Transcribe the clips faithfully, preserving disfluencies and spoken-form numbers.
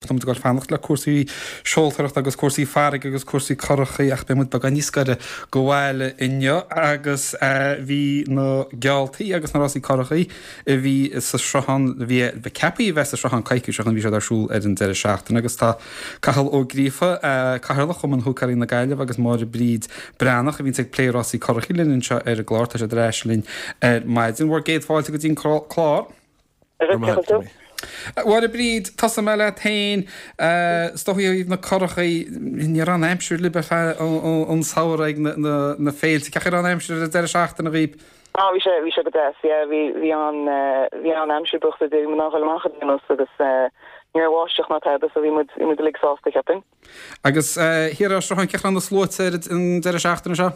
Tá muid ag fanacht le cúrsaí seoltóireachta agus cúrsaí farraige agus cúrsaí curachaí ach beidh muid beagán níos gaire go bhaile inniu agus bhí na gealltaí agus na rásaí curachaí a bhí sa sruthán bhí ceaptha a bheith sa sruthán coicís ó shin bhí siad ar siúl ar an deireadh seachtaine agus tá Cathal Ó Gríofa Cathaoirleach Chumann Húicéirí na Gaillimhe agus Máire Bríd Breathnach a bhíonn ag plé rásaí curachaí linn anseo ar an gclár tá siad ar ais linn ar maidin. Bhur gcéad fáilte go dtí an clár. Mháire Bríd, tosóidh mé leat féin is dóigh ó thaobh na curachaí ní raibh an aimsir libh ar feadh an samhradh ag na féilte, cén chaoi a raibh an aimsir ar an deireadh seachtaine dhaoibh? Ah bhí sé bhí sé go deas yeah bhí bhí an bhí an aimsir buíochas le Dia bhí muid in ann dul amach a dhéanamh agus ní raibh báisteach ná tada so bhí muid bhí muid uilig sásta cheapfainn. Agus thiar ar Sruthán cén chaoi a raibh na sluaite ar an deireadh seachtaine seo?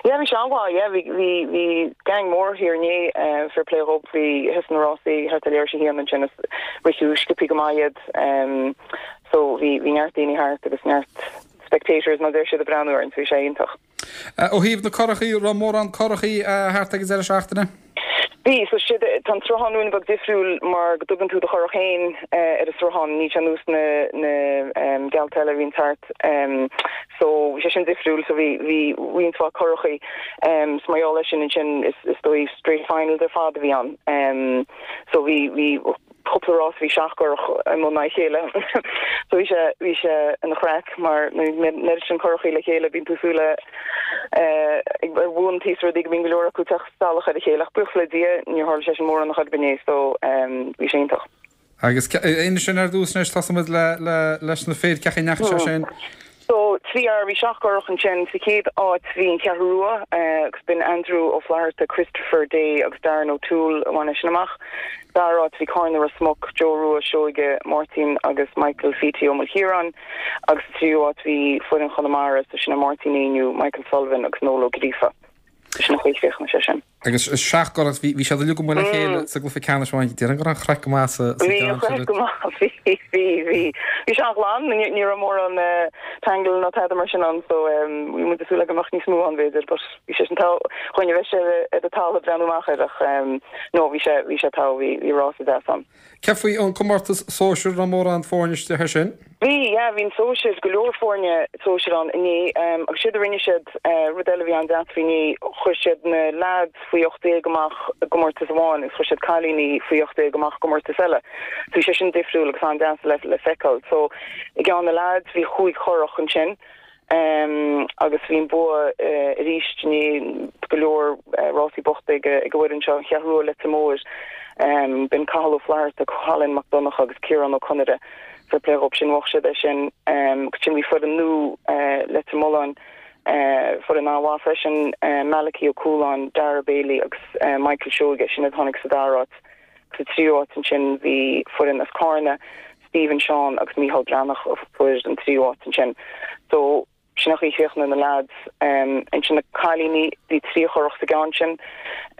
Yeah bhí sé an-mhaith yeah bhí bhí bhí gang mór thiar inné uh, fair play dhób bhí thosaigh na rásaí thart ar leathuair tar éis a haon ansin is ritheadh sciobtha go maith iad um, so bhí bhí neart daoine thart agus neart spectators mar deir siad ag breathnú air so bhí sé iontach. Uh, ó thaobh na curachaí raibh mórán curachaí uh, thart ag an deireadh seachtaine? Bhí so siad tá an sruthán ruainne beag difriúil mar go dtugann tú do churach féin uh, ar an sruthán ní ar nós na na um, geallta eile a bhíonn thart um, so bhí sé sin difriúil so bhí bhí roinnt mhaith curachaí um, so mar gheall air sin sin is is dóigh straight finals ar fad a bhí ann um, so bhí bhí cúpla rás bhí seacht gcurach i mbun a chéile so bhí sé bhí sé ina chraic mar nuair sin curachaí le chéile bíonn tú súil le ar bhuantaí rudaí go mbíonn go leor acu ag teacht salach ar a chéile ach buíochas le Dia níor tharla sé sin mórán a chor ar bith so um, bhí sé iontach. Agus inis sin ar dtús anois tosóimid le le leis na fir cén chaoi a ndeachaigh sé sin. So trí fhear bhí seacht gcurach ansin sa chéad áit bhí an Cheathrú Rua agus b'in Andrew Ó Flatharta Christopher Day agus Darren O'Toole a bhain sin amach. Dara háit bhí Carna Ros Muc, Joe Rua Seoige Martin agus Michael Feety Ó Maoilchiaráin agus tríú háit bhí foireann Chonamara so sin Martin Éinniú, Michael Sullivan agus Noel Ó Gríofa. Sin chuig féach sé sin. Agus seacht gcurach bhí siad go le chéile sa gcluiche ceannais amháin déarfainn go raibh craic go maith sa Bhí go maith bhí bhí bhí Bhí sé glan ní raibh mórán tangle ná tada mar sin ann so bhí muid ag súil go mbeadh níos mó ann b'fhéidir, but bhí sé sin tá chuine bheith sé ar a talamh breathnú amach air ach no bhí sé bhí sé tá bhí bhí rás deas ann. Cé faoi an comórtas sóisir raibh mórán foirne istigh sin? Bhí yeah, bhí sóisir go leor foirne sóisir ann inné um, agus siad a rinne siad uh, rud eile bhí an-deas faoi inné chuir siad na lads faoi ocht déag amach i gcomórtas amháin agus chuir siad cailíní faoi ocht déag amach i gcomórtas eile. So bhí sé sin difriúil agus an-deas le le feiceáil. So i gceann na lads bhí chúig churach ansin. Um, agus bhí an bua uh, arís ní go leor uh, rásaí bochta ag ag bhfuil seo Cheathrú Leitir Móir um, b'in Cathal Ó Flatharta Colin Mac Donncha agus Ciarán Ó Conaire fair play dhób sin bhuaigh siad é sin um, sin bhí foireann nua uh, Leitir Mealláin uh, foireann an-mhaith freisin uh, Malachi Ó Cúláin, Dara Bailey agus uh, Michael Seoige sin a tháinig sa dara háit sa tríú háit ansin bhí foireann as Carna, Stephen Sean agus Michael Breathnach a fuair an tríú háit ansin. So sin í féachna na lads um, ansin na cailíní bhí trí churach sa gceann sin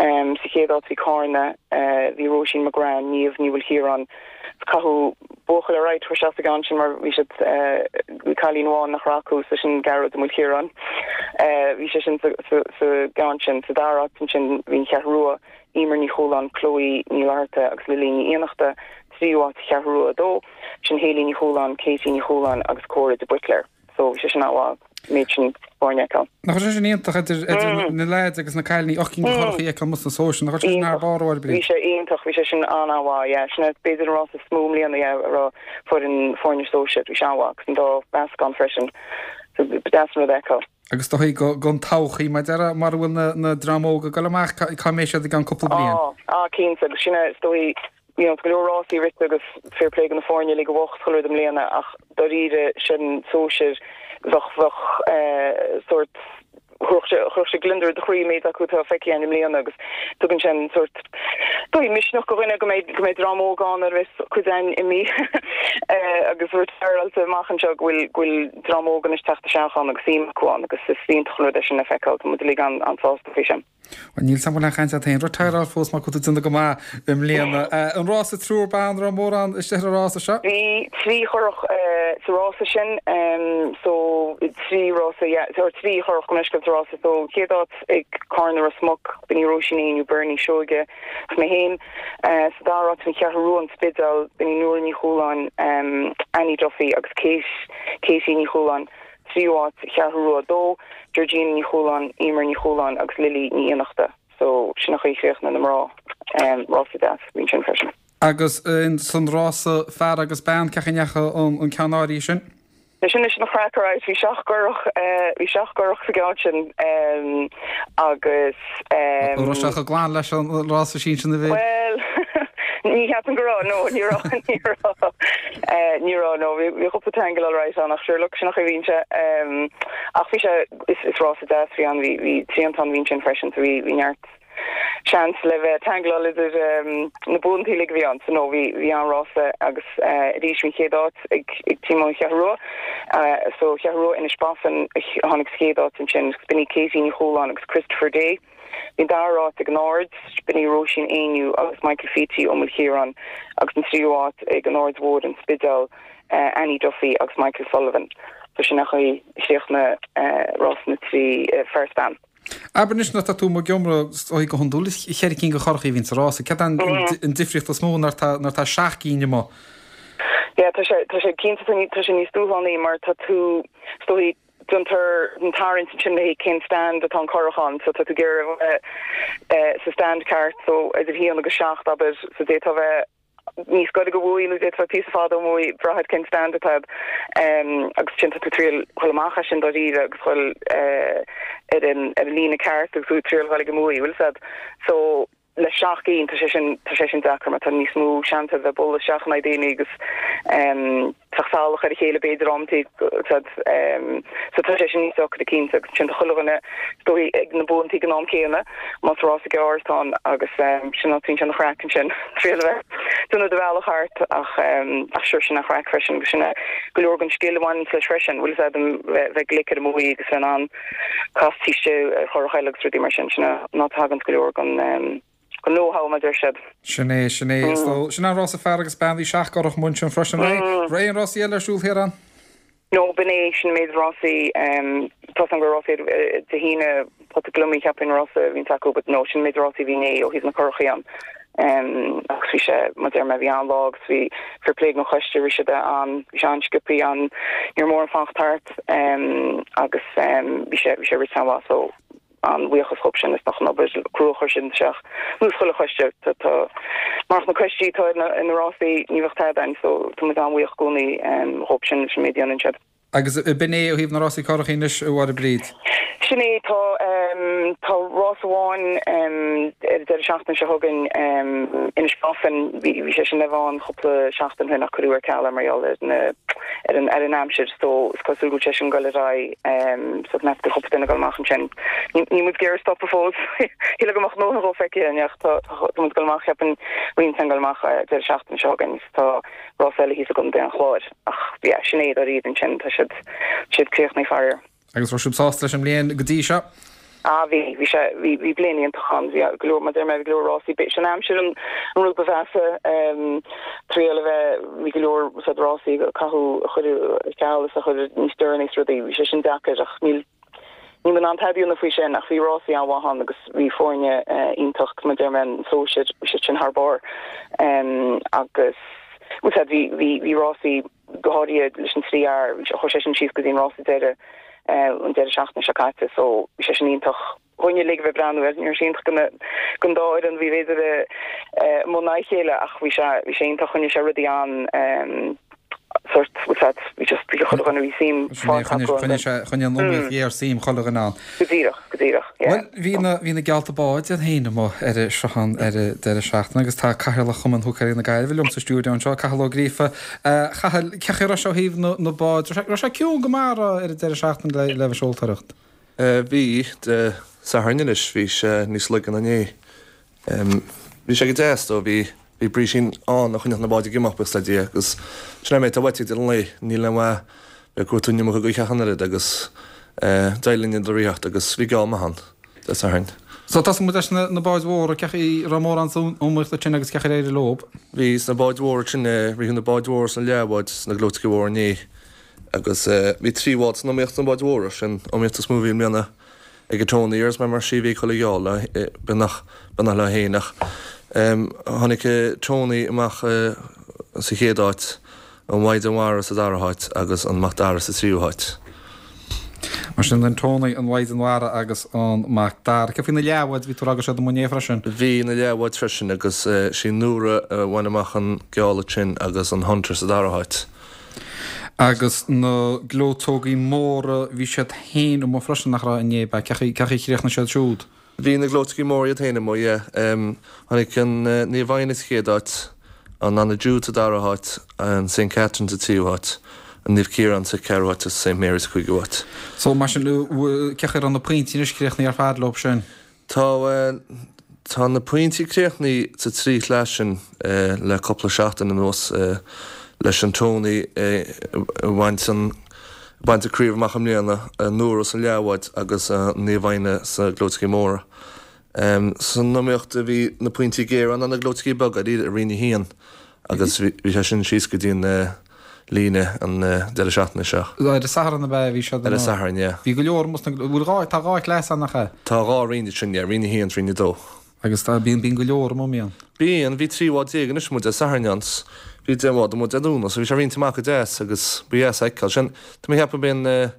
um, sa chéad áit bhí Carna uh, bhí Róisín McGrath Niamh Ní Mhaoilchiaráin caitheadh buachaill ar aghaidh sa gceann sin mar bhí siad uh, bhí cailín amháin nach raibh acu sa sin Gearóid Ó Maoilchiaráin. Uh, bhí sé sin sa gceann sin sa dara háit ansin bhí an Cheathrú Rua Emer Ní Chualáin Chloe Ní Fhlatharta agus Lilí Ní Fhiannachta tríú háit Cheathrú Rua dó sin Haley Ní Chualáin Katie Ní Chualáin agus Cora de Butler. So bhí sé sin an méid sin foirne. Nach sé sin iontach idir na lads agus na cailíní och cin churachaí ag mus na sóisiar nach sin ar barr Bhí sé iontach bhí sé sin an-mhaith sin b'fhéidir an rás is mó i mbliana a raibh foireann foirne sóisir bhí sé an-mhaith agus an dá mheascán freisin so b'deas an rud é. Agus do gon todhchaí mar deara mar bhfuil na na dream óg ag dul amach cá mbeidh siad i gceann cúpla bliain. Á cinnte agus sin is dóigh you know, go leor rásaí rite agus fair play na foirne le go bhocht chuir i mbliana ach dáiríre sin sóisir bheadh bheadh eh, sort chuir sé gliondar i do chroí méid acu tá feicthe i mbliana agus tugann sin sort dóigh misneach do dhuine go mbeidh go mbeidh dream óg ann ar bheas cuid againn imithe eh, agus retireáilte amach anseo go bhfuil go bhfuil dream óg anois teacht isteach ann agus suim acu ann agus is iontach an rud é sin le feiceáil tá muid uilig an an-sásta faoi sin. Bhuel, níl 's a'm an bhfuil aon chaint agat féin retireáil fós mar go bhfuil tú ag déanamh go maith i mbliana. An rása triúr ban, raibh mórán istigh ar an rása seo? Bhí trí churach sa rása sin, so trí rása, yeah, so trí churach gabh mo leithscéal sa rása. So chéad áit ag Carna Ros Muc, b'in í Róisín Éinniú, Bernie Seoige agus mé féin. Sa dara háit an Cheathrú Rua, An Spidéal, b'in í Nóra Ní Chualáin, Annie Duffy agus Kate, Katie Ní Chualáin. Tríú háit, Cheathrú Rua a dó, Georgina Ní Chualáin, Emer Ní Chualáin agus Lily Ní Fhiannachta. So sin an chaoi a chríochnaigh na mná. Rása deas a bhí ansin freisin. Agus san rása fear agus bean, cén chaoi a ndeachaigh an ceann áirithe sin? Sin sin an chraic alright, bhí seacht gcurach, bhí seacht gcurach sa gceann sin agus. An raibh sé chomh glan leis an rása sinsir na bhfir? Bhuel, ní cheapaim go raibh, no, ní raibh, ní raibh, ní raibh, no, bhí cúpla tangle alright ann ach sure look, sin an chaoi a bhíonn sé. Ach bhí sé, is, is rása deas a bhí ann, bhí, bhí triantán a bhí ansin freisin so bhí, bhí neart seans le bheith tangleáil idir na buantaí uilig a bhí ann so no, bhí, bhí an-rása agus arís bhí an chéad áit ag, ag team ón Cheathrú Rua so Cheathrú Rua Inis Bofin a tháinig sa chéad áit ansin agus b'in í Katie Ní Chualáin agus Christopher Day. Bhí an dara háit ag an Aird, b'in í Róisín Éinniú agus Michael Feety ó Maoil Chiaráin agus an tríú háit ag an Aird Mhór, An Spidéal, Annie Duffy agus Michael Sullivan. So sin an chaoi a chríochnaigh rás na trí fear is bean. Abair anois nuair atá tú amuigh ag iomramh, is dóigh go hiondúil is cheithre cinn de churachaí a bhíonn sa rása. Céard é an difríocht is mó nuair atá seacht gcinn amuigh? Yeah, tá sé, tá sé cinnte, tá sé níos dúshlánaí mar tá tú, is dóigh, déantar an tarraingt ansin le haghaidh cén stand atá an curach ann, so tá tú ag iarraidh a bheith sa stand ceart, so idir haon agus seacht, abair, so d'fhéadfá a bheith níos gaire don bhuaidh nó d'fhéadfá píosa fada ón mbuaidh, brath ar cén stand atá agat, agus ansin tá tú ag triail dhul amach as sin dáiríre agus dhul ar an ar an líne ceart agus tú ag triail dhul ag an mbuaidh, bhfuil 'fhios a'd. So le seacht gcinn tá sé sin tá sé sin deacair mar tá níos mó seans a bheith ag bualadh isteach in aghaidh daoine agus teacht salach ar a chéile b'fhéidir amantaí so tá sé sin níos deacra cinnte agus ansin tá chuile dhuine is dóigh ag na buantaí ag an am céanna más rása gearr atá ann agus sin an sin an chraic ansin triail a bheith déanamh do bhealach thart ach ach sure sin an chraic freisin agus sin go leor den scil a bhaineann leis freisin bhfuil 'fhios a'd bheith glic ar an mbuaidh agus bheith in ann casadh taobh istigh ar churach eile agus rudaí mar sin sin an áit a thagann go leor den den know-how mar a deir siad. Sin é, sin é. So, sin an rása fear agus bean, bhí seacht gcurach amuigh ansin freisin. Raibh aon rásaí eile ar siúl thiar ann? No, b'in é, sin an méid rásaí, tá 'fhios a'm go raibh rásaí Dé hAoine, Pota Gliomaigh cheapfainn rása a bhíonns acu, but no, sin an méid rásaí a bhí inné ó thaobh na curachaí ann. Agus bhí sé, mar a deir mé, bhí an-lá agus bhí fair play don choiste, bhí siad an, bhí sé an-sciobthaí, an, ní raibh mórán fanacht thart agus bhí sé, bhí sé rite an-mhaith so an-bhuíochas dhóibh sin as an obair crua a chuir siad isteach. Nó chuile choiste, tá, tá, murach na coistí atá ar na, ar na rásaí ní bheadh tada ann so tá muid an-bhuíoch i gcónaí dhóibh sin leis an méid a dhéanann siad. Agus b'in é ó thaobh na rásaí curachaí anois, a Mháire Bríd? Sin é, tá, tá rás amháin ar an deireadh seachtaine seo chugainn, Inis Bofin, bhí, bhí sé sin le bheith ann cúpla seachtain ó shin ach cuireadh ar ceal é mar gheall ar na, ar an, ar an aimsir so is cosúil go bhfuil sé sin ag dul ar aghaidh so meas go cúpla duine ag dul amach ansin. Níl muid ag iarraidh stopadh fós, shílfeá go mbeadh a ndóthain dhó feicthe againn ach tá, tá muid ag dul amach, cheapfainn, roinnt ag dul amach deireadh seachtaine seo chugainn is tá rás eile thíos i gContae an Chláir ach yeah sin é dáiríre ansin tá siad siad críochnaithe faraor. Agus raibh sibh sásta leis an mbliain go dtí seo? Ah bhí, bhí sé, bhí, bhí bliain iontach ann, bhí go leor, mar a deir mé, bhí go leor rásaí, b'é sin aimsir an an rud ba mheasa, triail a bheith, bhí go leor said rásaí a caitheadh, a cuireadh ar ceal is a cuireadh níos deireanaí is rudaí, bhí sé sin deacair ach níl, Níl mé in ann tada a dhéanamh faoi sin ach bhí rásaí an-mhaith ann agus bhí foirne iontach mar a deir mé an sóisir, bhí siad sin thar barr agus bhfuil 'fhios a'd bhí bhí bhí rásaí go háirithe leis an trí fhear, chuaigh sé sin síos go dtí an rása deiridh an deireadh seachtaine seo caite so bhí sé sin iontach dhúinne uilig a bheith ag breathnú air, ní raibh sé iontach do don dá fhoireann a bhí b'fhéidir i mbun a chéile ach bhí sé bhí sé iontach choinnigh sé rudaí an sort bhfuil 'fhios a'd bhí just bhí chuile dhuine bhí suim fágtha acu ann. Choinnigh an iomaíocht ghéar suim chuile dhuine ann. Go díreach, go díreach, yeah. Bhuel, bhí na, bhí na geallta báid iad féin amuigh ar an sruthán ar an deireadh seachtaine agus tá Cathaoirleach Chumann Húicéirí na Gaillimhe liom sa stiúideo anseo, Cathal Ó Gríofa. A Chathail, cén chaoi a raibh sé ó thaobh na, na báid, raibh sé, raibh sé ciúin go maith ar an deireadh seachtaine le, le bheith seoltóireacht? Bhí, Dé Sathairn anois, bhí sé níos laige ná inné. Bhí sé go deas though, bhí bhí brísín ann a choinneodh na báid ag imeacht, buíochas le Dia, agus sin é mé, tá uait ag deireadh an lae, níl aon mhaith bheith ag cuartú an iomarca gaoithe ach an oiread agus d'éirigh linn iad a ritheacht agus bhí geall maith ann Dé Sathairn. So tosóidh muid leis na báid mhóra, cén chaoi a raibh mórán san iomaíocht ansin agus cén chaoi ar éirigh leo? Bhí sna báid mhóra sin, ritheadh na báid mhóra is na leathbháid sna gleoiteacha mhóra inné agus bhí trí bhád san iomaíocht sna báid mhóra, sin iomaíocht is mó a bhí i mbliana ag an Tony agus mar mar sí bhí chuile gheall beagnach beagnach leo féin ach tháinig Tony amach sa chéad áit, an Mhaighdean Mhara sa dara háit agus an Mac Dara sa tríú háit. Mar sin an Tony, an Mhaighdean Mhara agus an Mac Dara. Cé faoi na leathbháid, bhí tú ag rá go raibh siad amuigh inné freisin? Bhí na leathbháid freisin agus sí Nóra a bhain amach an geall ansin agus an Hunter sa dara háit. Agus na gleoiteogaí móra, bhí siad féin amuigh freisin, nach raibh, inné, ab ea? Cén chaoi a chríochnaigh siad siúd? Bhí na gleoiteogaí móra iad féin amuigh, yeah. Tháinig an Naomh Éanna sa chéad áit, an Anna Jude sa dara háit, an Saint Catherine sa tríú háit, an Naomh Ciarán sa ceathrú háit agus Saint Mary sa cúigiú háit. So mar sin, cén chaoi a raibh na pointí anois críochnaithe ar fad leo sin? Tá, tá na pointí críochnaithe sa trí chleas sin le cúpla seachtain anuas leis an Tony a bhaint an baint an craobh amach i mbliana, Nóra sa leathbhád agus Naomh Éanna sna gleoiteogaí móra. San iomaíocht a bhí na pointí géara ná na gleoiteogaí beaga i Roinn a haon agus bhí sé sin síos go dtí an líne an deireadh seachtaine seo. Ar an Satharn ab ea a bhí siad? Ar an Satharn, yeah. Bhí go leor amuigh sna, bhfuil dhá, tá dhá chleas ann, nach ea? Tá dhá roinn ansin, yeah, Roinn a haon is Roinn a dó. Agus tá, bíonn, bíonn go leor amuigh, mbíonn? Bíonn, bhí trí bhád déag anois amuigh Dé Sathairn ann, bhí deich mbád amuigh Dé Domhnaigh, so bhí sé roinnte amach go deas agus ba dheas a fheiceáil. Sin, tá mé ag ceapadh b'é an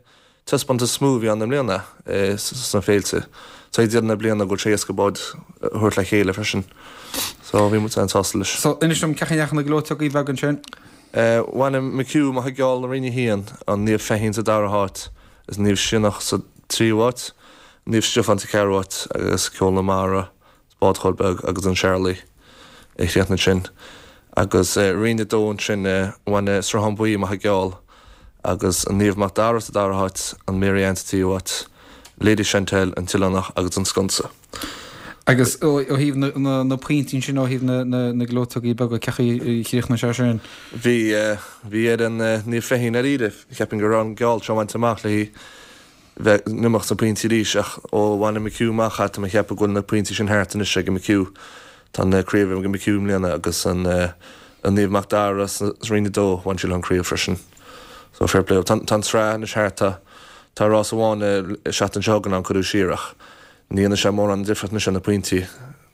taispeántas is mó a bhí ann i mbliana sna féilte. So ag deireadh na bliana go bhfuil sé éasca báid a thabhairt le chéile freisin. So bhí muid an-sásta leis. So inis dom, cén chaoi a ndeachaigh na gleoiteogaí beaga ansin? Bhain an McHugh amach an geall i Roinn a haon, an Naomh Feichín sa dara háit is Naomh Sionnach sa tríú háit, Naomh Stiofán sa ceathrú háit agus Ceol na Mara, Bád Chóil Beag agus an Charlie a chríochnaigh ansin. Agus Roinn a dó ansin, bhain Sruthán Buí amach an geall agus an Naomh Mac Dara sa dara háit, an Mary Ann sa tríú háit, Lady Chantel, an tOileánach agus an Sconsa. Agus ó thaobh na pointí ansin, ó thaobh na gleoiteogaí beaga, cén chaoi a chríochnaigh sé sin? Bhí, bhí ar an Naomh Feichín dáiríre, cheapfainn go raibh an geall seo bainte amach léi bheith in iomaíocht sna pointí arís ach ó bhain an McHugh amach é tá mé ag ceapadh go bhfuil na pointí sin thart anois ag an McHugh. Tá an craobh ag an McHugh i mbliana agus an Naomh Mac Dara sa Roinn a dó, bhain sí leo an craobh freisin. So fair play. Tá an tsraith anois thart, tá tá rás amháin an seachtain seo chugainn ann cuireadh siar ach Ní dhéanann sé mórán difríocht anois ar na pointí,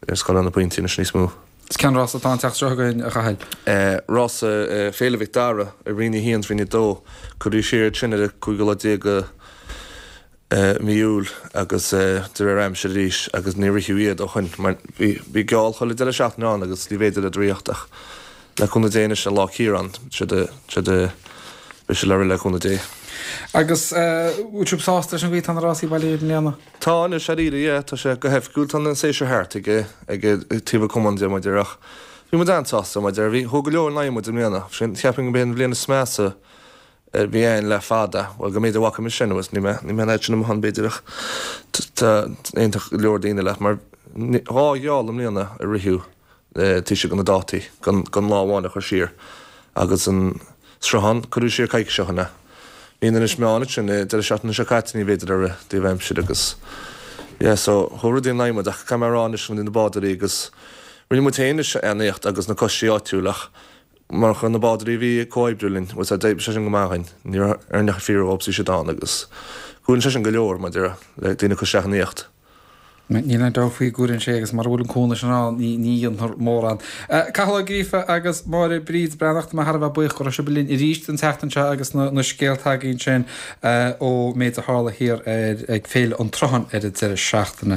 ar scoil ar na pointí anois níos mó. Is cén rása atá an tseachtain seo chugainn, a Chathail? Rása Féile Mhic Dara i Roinn a haon is Roinn a dó. Cuireadh siar iad sin ar an cúigiú lá déag de mhí Iúil agus de réir aimsire arís agus níor ritheadh iad ó shoin mar bhí geall chuile deireadh seachtaine ann agus ní bhféidir iad a ritheacht ach le cúnamh Dé anois an Lá Ciarán siad siad beidh siad le rith le cúnamh Dé. Agus bhfuil sibh sásta leis an gcaoi atá na rásaí bailithe i mbliana? Tá anois, dáiríre, yeah, tá sé go hoifigiúil, tá an séasúr thart ag ag taobh an chumainn de, mar a déarfá, ach bhí muid an-sásta, mar a déarfá, bhí, chuaigh go leor in aghaidh muid i mbliana, sin, cheapfainn go b'é an bhliain is measa a bhí ann le fada, bhuel, go mb'fhéidir bhfaca mise anuas, níl mé, níl mé an fhad sin amuigh ann b'fhéidir ach tá, aontódh go leor daoine leat, mar dhá gheall i mbliana a ritheadh. taobh istigh de na dátaí, gan lá amháin a chur siar, agus an sruthán, cuireadh siar coicís ó shin é. Bhí in Inis Meáin ansin, deireadh seachtaine seo caite, ní bhféidir a rith taobh aimsire agus yeah so chuaigh rudaí in aghaidh muid ach caithfidh mé a rá anois na bádóirí agus rinne muid féin anois an-éacht agus na coistí áitiúil ach mar chuir na bádóirí a bhí ag comhoibriú linn, bhuel d'oibrigh sé sin go maith againn, ní raibh ar neach fíor dhóibh bhí siad ann agus chuala sé sin go leor maidir le daoine ag cur isteach in éacht. Níl aon dabht faoi go gcuireann sé agus mura bhfuil an cúnamh sin ann ní dhéanfar mórán. Cathal Ó Gríofa agus Máire Bríd Breathnach, tá mé thar a bheith buíoch go raibh sibh linn arís an tseachtain seo agus na scéalta againn sin ó méid a tharla thiar ar ag Féile an tSrutháin ar an deireadh seachtaine.